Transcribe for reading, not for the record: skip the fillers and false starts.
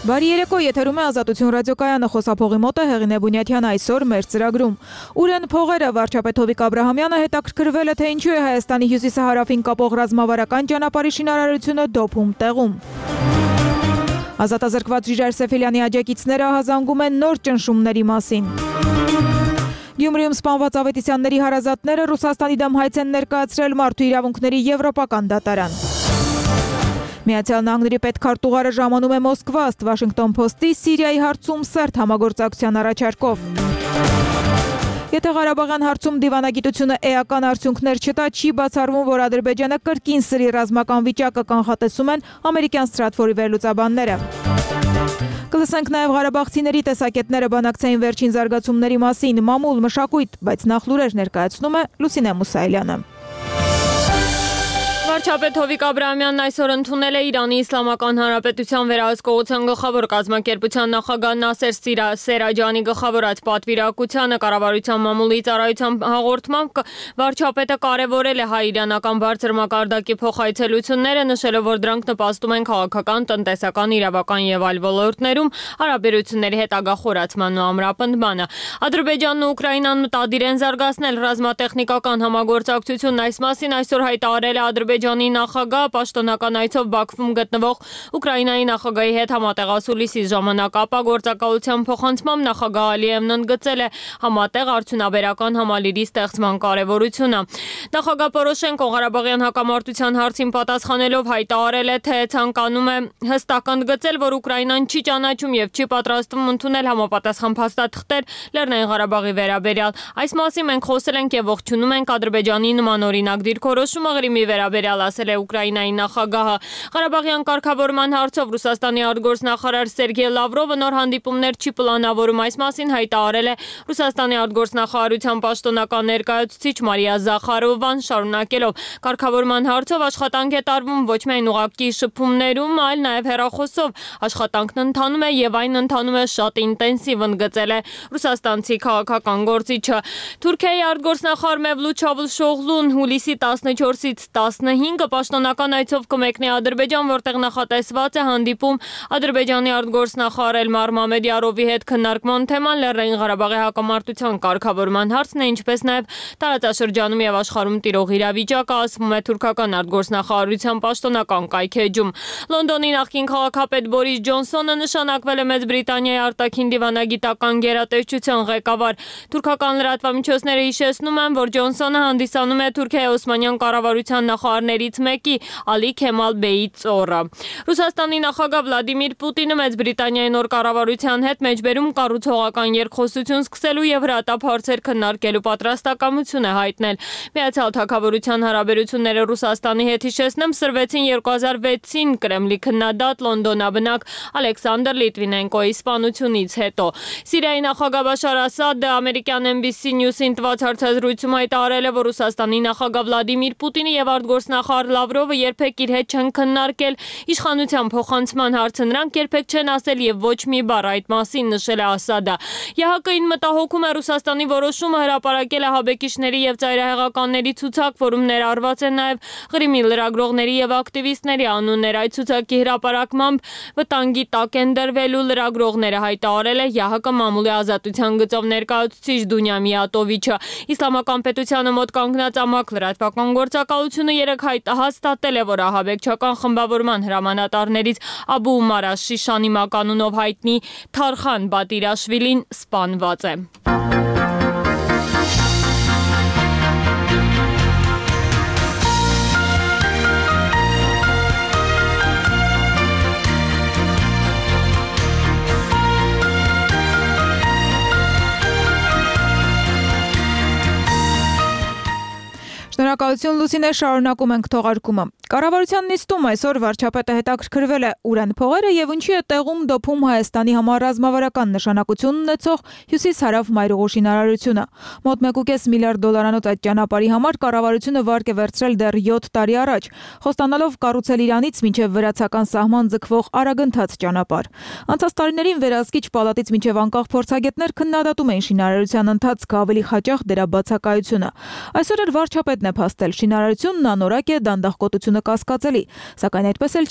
Բարի երեկո, եթերում է Ազատություն ռադիոկայանը, խոսափողի մոտ է Հեղինե Բունյաթյանը, այսօր մեր ծրագրում։ Ուր են փողերը, վարչապետ Հովիկ Աբրահամյանը հետաքրքրվել է, թե ինչու է Հայաստանի հյուսիսահարավին կապող ռազմավարական ճանապարհի շինարարությունը դոփում տեղում։ Ազատազրկված Ժիրայր Սեֆելյանի աջակիցները ահազանգում են նոր ճնշումների մասին։ Գյումրիում սպանված Ավետիսյանների հարազատները Ռուսաստանի դեմ հայց են ներկայացրել Մարդու իրավունքների եվրոպական դատարան։ Միացյալ Նահանգների պետքարտուղարը ժամանում է Մոսկվա, ըստ Washington Post-ի Սիրիայի հարցում սերտ համագործակցության առաջարկով։ Եթե Ղարաբաղյան հարցում դիվանագիտությունը էական արդյունքներ չտա, չի բացառվում, որ Ադրբեջանը կրկին սրի ռազմական վիճակը կանխատեսում են ամերիկյան Ստրատֆորի վերլուծաբանները։ Կլսենք նաև ղարաբաղցիների տեսակետները բանակցային վերջին զարգացումների մասին, մամուլ, մշակույթ, բայց նախ լուրեր ներկայացնում է Լուսինե Մուսայելյանը։ Վարչապետ Հովիկ Աբրահամյանն այսօր ընդունել է Իրանի Իսլամական Հանրապետության վերահսկողության գլխավոր կազմակերպության նախագահ Նասեր Սերաջանի գլխավորած պատվիրակությանը կառավարության մամուլի ծառայության հաղորդմամբ վարչապետը կարևորել է հայ-իրանական բարձր մակարդակի փոխայցելությունները, նշելով, որ դրանք նպաստում են քաղաքական, տնտեսական, իրավական եւ այլ ոլորտներում հարաբերությունների հետագա խորացման ու ամրապնդմանը։ Ադրբեջանն ու Ուկրաինան մտադիր են զարգացնել ռազմատեխնիկական համագործակցությունն, այս մասին այսօր հայտարարել է Ադրբեջանի նախագահ պաշտոնական այցով Բաքվում գտնվող Ուկրաինայի նախագահի հետ համատեղ Լիսի ժամանակ ապա գործակալության փոխանցմամբ նախագահ Ալիևն ընդգծել է համատեղ արդյունաբերական համալիրի ստեղծման կարևորությունը։ Նախագահ Պորոշենկոն Ղարաբաղյան հակամարտության հարցին պատասխանելով հայտարարել է, թե ցանկանում է հստակ ընդգծել, որ Ուկրաինան չի ճանաչում եւ չի պատրաստվում ընդունել համապատասխան փաստաթղթեր Լեռնային Ղարաբաղի վերաբերյալ։ Այս մասին մենք խոսել ենք եւ ողջունում ենք Ադրբեջանի նման օրինակ դիրքորոշումը Ղրիմի վերաբերյալ, ասել է Ուկրաինայի նախագահը։ Ղարաբաղյան կարգավորման հարցով Ռուսաստանի արտգործնախարար Սերգեյ Լավրովը նոր հանդիպումներ չի պլանավորում, այս մասին հայտարարել է Ռուսաստանի արտգործնախարարության պաշտոնական ներկայացուցիչ Մարիա Զախարովան, շարունակելով կարգավորման հարցով աշխատանք է տարվում ոչ միայն ուղղակի շփումներում, այլ նաև հեռախոսով։ Աշխատանքն ընթանում է եւ այն ընթանում է շատ ինտենսիվ, ընդգծել է ռուսաստանցի քաղաքական գործիչը։ Թուրքիայի արտգործնախարար Մևլութ Չավուշօղլուն հուլիսի 14-ից 15 պաշտոնական այցով կմեկնի Ադրբեջան, որտեղ նախատեսված է հանդիպում Ադրբեջանի արտգործնախարար Էլմար Մամեդյարովի հետ քննարկման թեման Լեռնային Ղարաբաղի հակամարտության կարգավորման հարցն է, ինչպես նաև տարածաշրջանում եւ աշխարհում տիրող իրավիճակը, ասվում է թուրքական արտգործնախարարության պաշտոնական կայքեջում։ Լոնդոնի նախկին քաղաքապետ Բորիս Ջոնսոնը նշանակվել է Մեծ Բրիտանիայի արտաքին դիվանագիտական գերատեսչության ղեկավար։ Թուրքական լրատվամիջոցները հիշեցնում են, որ Ջոնսոնը հանդիսանում է Թուրքիայի Օսմանյան կառավարության նախարարներից մեկի Ալի Քեմալ Բեյի ծոռը։ Ռուսաստանի նախագահ Վլադիմիր Պուտինը Մեծ Բրիտանիայի նոր կառավարության հետ մեջբերում կառուցողական երկխոսություն սկսելու եւ հրատապ հարցեր քննարկելու պատրաստակամություն է հայտնել։ Միացյալ Թագավորության հարաբերությունները Ռուսաստանի հետ, հիշեցնեմ, սրվեցին 2006-ին Կրեմլի քննադատ լոնդոնաբնակ Ալեքսանդր Լիտվինենկոյի սպանությունից հետո։ Սիրիայի նախագահ Բաշար Ասադը ամերիկյան NBC News-ին տված հարցազրույցում հայտարարել է, որ Ռուսաստանի նախագահ Վլադիմիր Պուտինը եւ արտգործնախարար Լավրովը երբեք իր հետ չեն քննարկել իշխանության փոխանցման հարցը, նրանք երբեք չեն ասել եւ ոչ մի բառ այդ մասին, նշել է Ասադը։ ԵՀԿ-ին մտահոգում է Ռուսաստանի որոշումը հրապարակել է հաբեկիչների եւ ծայրահեղականների ցուցակ, որում ներառված են նաեւ Ղրիմի լրագրողների եւ ակտիվիստների անուններ։ Այդ ցուցակի հրապարակմամբ վտանգի տակ են դրվելու լրագրողները, հայտարարել է ԵՀԿ մամուլի ազատության գծով ներկայացուցիչ Դունյա Միատովիչը։ Իսլամական պետությանը մոտ կանգնած ամակ լրատվական գործակալությունը երեկ հաստատել է, որ ահաբեկչական խմբավորման հրամանատարներից Աբու Ումար Շիշանի մականունով հայտնի Թարխան Բատիրաշվիլին սպանված է։ Շնորհակալություն Լուսինե, շարունակում ենք թողարկումը։ Կառավարության նիստում այսօր վարչապետը հետաքրքրվել է ուր են փողերը եւ ինչի է տեղում դոփում Հայաստանի համար ռազմավարական նշանակություն ունեցող հյուսիս-հարավ մայրուղու շինարարությունը։ Մոտ 1.5 միլիարդ դոլարանոց այդ ճանապարհի համար կառավարությունը վարկ է վերցրել դեռ 7 տարի առաջ, խոստանալով կառուցել Իրանից մինչև վրացական սահման ձգվող արագընթաց ճանապարհ։ Անցած տարիներին վերահսկիչ պալատից մինչև անկախ փորձագետներ քննադատում էին շինարարության ընթացքը, ավելի հաճախ դրա բացակայությունը։ Այսօր էլ վարչապետն է փաստել, շինարարությունն անորակ է, դանդաղ կոտությունը կասկածելի, սակայն այդպես էլ չի